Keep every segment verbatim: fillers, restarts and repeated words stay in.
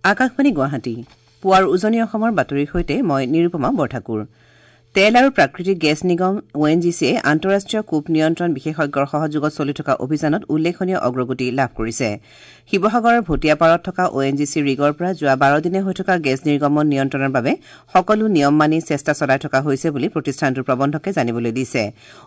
আকাশবাণী গুৱাহাটী পুৱাৰ উজনি অসমৰ বাতৰিৰ সৈতে মই নিৰুপমা বৰঠাকুৰ। তেল আৰু প্ৰাকৃতিক গেছ নিগম অ এন জি চিয়ে আন্তঃৰাষ্ট্ৰীয় কূপ নিয়ন্ত্ৰণ বিশেষজ্ঞৰ সহযোগত চলি থকা অভিযানত উল্লেখনীয় অগ্ৰগতি লাভ কৰিছে। শিৱসাগৰৰ ভটিয়াপাৰত থকা অ এন জি চি ৰিগৰ পৰা যোৱা বাৰ দিনে হৈ থকা গেছ নিৰ্গমন নিয়ন্ত্ৰণৰ বাবে সকলো নিয়ম মানি চেষ্টা চলাই থকা হৈছে বুলি প্ৰতিষ্ঠানটোৰ প্ৰবন্ধকে জানিবলৈ দিছে।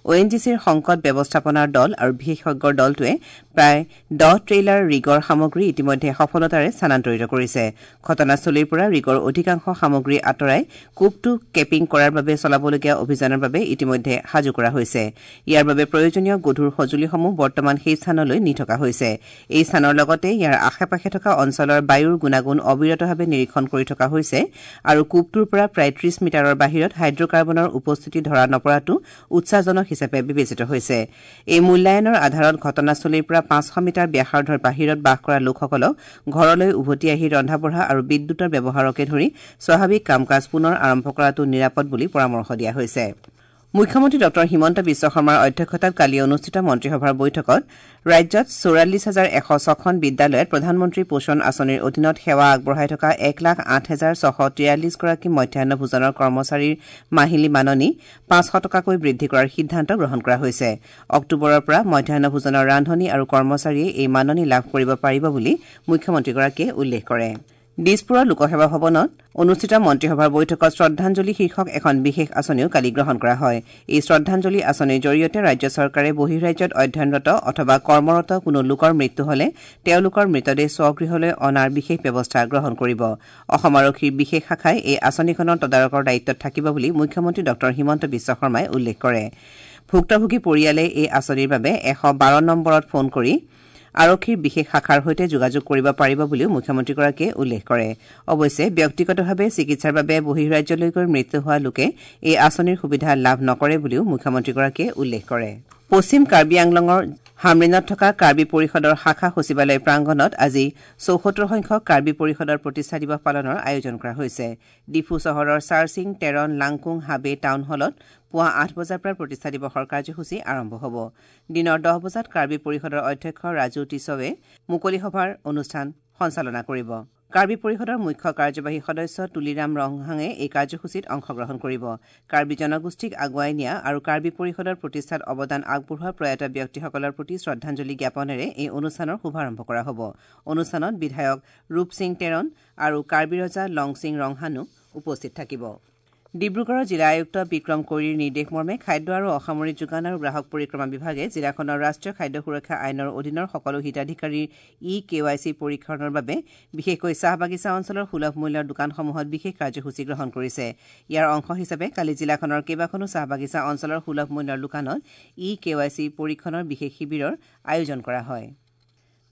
অ এন জি চিৰ সংকট ব্যৱস্থাপনাৰ দল আৰু বিশেষজ্ঞৰ দলটোৱে প্ৰায় দহ ট্ৰেইলাৰ ৰিগৰ সামগ্ৰী ইতিমধ্যে সফলতাৰে স্থানান্তৰিত কৰিছে। ঘটনাস্থলীৰ পৰা ৰিগৰ অধিকাংশ সামগ্ৰী আঁতৰাই কূপটো কেপিং কৰাৰ বাবে চলাবলগীয়া অভিযানৰ বাবে ইতিমধ্যে সাজু কৰা হৈছে। ইয়াৰ বাবে প্ৰয়োজনীয় গধুৰ সঁজুলিসমূহ বৰ্তমান সেই স্থানলৈ নি থকা হৈছে। এই স্থানৰ লগতে ইয়াৰ আশে-পাশে থকা অঞ্চলৰ বায়ুৰ গুণাগুণ অবিৰতভাৱে নিৰীক্ষণ কৰি থকা হৈছে আৰু কূপটোৰ পৰা প্ৰায় ত্ৰিশ মিটাৰৰ বাহিৰত হাইড্ৰকাৰ্বনৰ উপস্থিতি ধৰা নপৰাটো উৎসাহজনক হিচাপে বিবেচিত হৈছে। এই মূল্যায়নৰ আধাৰত ঘটনাস্থলীৰ পৰা পাঁচশ মিটাৰ ব্যাসাৰ্ধৰ বাহিৰত বাস কৰা লোকসকলক ঘৰলৈ উভতি আহি ৰন্ধা-বঢ়া আৰু বিদ্যুতৰ ব্যৱহাৰকে ধৰি স্বাভাৱিক কাম-কাজ পুনৰ আৰম্ভ কৰাটো নিৰাপদ বুলি পৰামৰ্শ দিয়া হৈছে। মুখ্যমন্ত্ৰী ডঃ হিমন্ত বিশ্ব শৰ্মাৰ অধ্যক্ষতাত কালি অনুষ্ঠিত মন্ত্ৰীসভাৰ বৈঠকত ৰাজ্যত চৌৰাল্লিছ হাজাৰ এশ ছখন বিদ্যালয়ত প্ৰধানমন্ত্ৰী পোষণ আঁচনিৰ অধীনত সেৱা আগবঢ়াই থকা এক লাখ আঠ হেজাৰ ছশ তিৰাল্লিছগৰাকী মধ্যাহ্ন ভোজনৰ কৰ্মচাৰীৰ মাহিলী মাননি পাঁচশ টকাকৈ বৃদ্ধি কৰাৰ সিদ্ধান্ত গ্ৰহণ কৰা হৈছে। অক্টোবৰৰ পৰা মধ্যাহ্ন ভোজনৰ ৰান্ধনী আৰু কৰ্মচাৰীয়ে এই মাননি লাভ কৰিব পাৰিব বুলি মুখ্যমন্ত্ৰীগৰাকীয়ে উল্লেখ কৰে। দিছপুৰৰ লোকসেৱা ভৱনত অনুষ্ঠিত মন্ত্ৰীসভাৰ বৈঠকত শ্ৰদ্ধাঞ্জলি শীৰ্ষক এখন বিশেষ আঁচনিও কালি গ্ৰহণ কৰা হয়। এই শ্ৰদ্ধাঞ্জলি আঁচনিৰ জৰিয়তে ৰাজ্য চৰকাৰে বহিঃৰাজ্যত অধ্যয়নৰত অথবা কৰ্মৰত কোনো লোকৰ মৃত্যু হলে তেওঁলোকৰ মৃতদেহ স্বগৃহলৈ অনাৰ বিশেষ ব্যৱস্থা গ্ৰহণ কৰিব। অসম আৰক্ষীৰ বিশেষ শাখাই এই আঁচনিখনৰ তদাৰকৰ দায়িত্বত থাকিব বুলি মুখ্যমন্ত্ৰী ডঃ হিমন্ত বিশ্ব শৰ্মাই উল্লেখ কৰে। ভুক্তভোগী পৰিয়ালে এই আঁচনিৰ বাবে এশ বাৰ নম্বৰত ফোন কৰি আৰক্ষীৰ বিশেষ শাখাৰ সৈতে যোগাযোগ কৰিব পাৰিব বুলিও মুখ্যমন্ত্ৰীগৰাকীয়ে উল্লেখ কৰে। অৱশ্যে ব্যক্তিগতভাৱে চিকিৎসাৰ বাবে বহিঃৰাজ্যলৈ গৈ মৃত্যু হোৱা লোকে এই আঁচনিৰ সুবিধা লাভ নকৰে বুলিও মুখ্যমন্ত্ৰীগৰাকীয়ে উল্লেখ কৰে। পশ্চিম কাৰ্বি আংলঙৰ হামৰেণত থকা কাৰ্বি পৰিষদৰ শাখা সচিবালয় প্ৰাংগণত আজি চৌসত্তৰ সংখ্যক কাৰ্বি পৰিষদৰ প্ৰতিষ্ঠা দিৱস পালনৰ আয়োজন কৰা হৈছে। ডিফু চহৰৰ চাৰচিং টেৰণ লাংকুং হাবে টাউন হলত পুৱা আঠ বজাৰ পৰা প্ৰতিষ্ঠা দিৱসৰ কাৰ্যসূচী আৰম্ভ হ'ব। দিনৰ দহ বজাত কাৰ্বি পৰিষদৰ অধ্যক্ষ ৰাজু টিছৱে মুকলি সভাৰ অনুষ্ঠান সঞ্চালনা কৰিব। কাৰ্বি পৰিষদৰ মুখ্য কাৰ্যবাহী সদস্য তুলিৰাম ৰংহাঙে এই কাৰ্যসূচীত অংশগ্ৰহণ কৰিব। কাৰ্বি জনগোষ্ঠীক আগুৱাই নিয়া আৰু কাৰ্বি পৰিষদৰ প্ৰতিষ্ঠাত অৱদান আগবঢ়োৱা প্ৰয়াত ব্যক্তিসকলৰ প্ৰতি শ্ৰদ্ধাঞ্জলি জ্ঞাপনেৰে এই অনুষ্ঠানৰ শুভাৰম্ভ কৰা হ'ব। অনুষ্ঠানত বিধায়ক ৰূপ সিং টেৰণ আৰু কাৰ্বি ৰজা লংচিং ৰংহানো উপস্থিত থাকিব। ডিব্ৰুগড়ৰ জিলা আয়ুক্ত বিক্ৰম কৈৰীৰ নিৰ্দেশ মৰ্মে খাদ্য আৰু অসামৰিক যোগান আৰু গ্ৰাহক পৰিক্ৰমা বিভাগে জিলাখনৰ ৰাষ্ট্ৰীয় খাদ্য সুৰক্ষা আইনৰ অধীনৰ সকলো হিতাধিকাৰীৰ ই কে ৱাই চি পৰীক্ষণৰ বাবে বিশেষকৈ চাহ বাগিচা অঞ্চলৰ সুলভ মূল্যৰ দোকানসমূহত বিশেষ কাৰ্যসূচী গ্ৰহণ কৰিছে। ইয়াৰ অংশ হিচাপে কালি জিলাখনৰ কেইবাখনো চাহ বাগিচা অঞ্চলৰ সুলভ মূল্যৰ দোকানত ই কে ৱাই চি পৰীক্ষণৰ বিশেষ শিবিৰৰ আয়োজন কৰা হয়।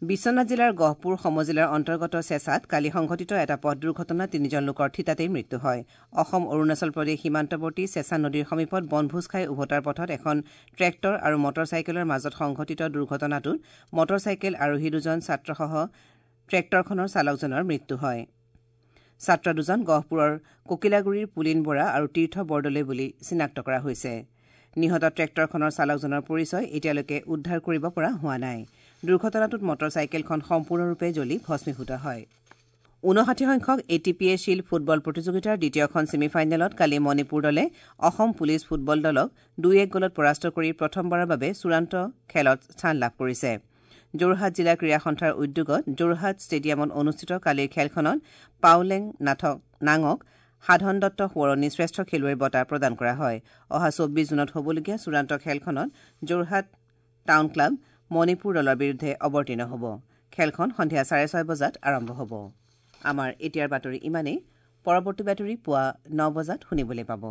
বিশ্বনাথ জিলাৰ গহপুৰ সমজিলাৰ অন্তৰ্গত চেঁচাত কালি সংঘটিত এটা পথ দুৰ্ঘটনাত তিনিজন লোকৰ থিতাতেই মৃত্যু হয়। অসম অৰুণাচল প্ৰদেশ সীমান্তৱৰ্তী চেঁচা নদীৰ সমীপত বনভোজ খাই উভতাৰ পথত এখন ট্ৰেক্টৰ আৰু মটৰ চাইকেলৰ মাজত সংঘটিত দুৰ্ঘটনাটোত মটৰ চাইকেল আৰোহী দুজন ছাত্ৰসহ ট্ৰেক্টৰখনৰ চালকজনৰ মৃত্যু হয়। ছাত্ৰ দুজন গহপুৰৰ কোকিলাগুৰিৰ পুলিন বৰা আৰু তীৰ্থ বৰদলৈ বুলি চিনাক্ত কৰা হৈছে। নিহত ট্ৰেক্টৰখনৰ চালকজনৰ পৰিচয় এতিয়ালৈকে উদ্ধাৰ কৰিব পৰা হোৱা নাই। দুৰ্ঘটনাটোত মটৰ চাইকেলখন সম্পূৰ্ণৰূপে জ্বলি ভস্মীভূত হয়। ঊনষাঠি সংখ্যক A T P A shield football প্ৰতিযোগিতাৰ দ্বিতীয়খন ছেমিফাইনেলত কালি মণিপুৰ দলে অসম পুলিচ ফুটবল দলক দুই এক গ'লত পৰাস্ত কৰি প্ৰথমবাৰৰ বাবে চূড়ান্ত খেলত স্থান লাভ কৰিছে। যোৰহাট জিলা ক্ৰীড়া সন্থাৰ উদ্যোগত যোৰহাট ষ্টেডিয়ামত অনুষ্ঠিত কালিৰ খেলখনত পাওলেং নাথক নাঙক সাধন দত্ত সোঁৱৰণী শ্ৰেষ্ঠ খেলুৱৈৰ বঁটা প্ৰদান কৰা হয়। অহা চৌব্বিছ জুনত হ'বলগীয়া চূড়ান্ত খেলখনত যোৰহাট টাউন ক্লাব মণিপুৰ দলৰ বিৰুদ্ধে অৱতীৰ্ণ হ'ব। খেলখন সন্ধিয়া চাৰে ছয় বজাত আৰম্ভ হ'ব। আমাৰ এতিয়াৰ বাতৰি ইমানেই। পৰৱৰ্তী বাতৰি পুৱা ন বজাত শুনিবলৈ পাব।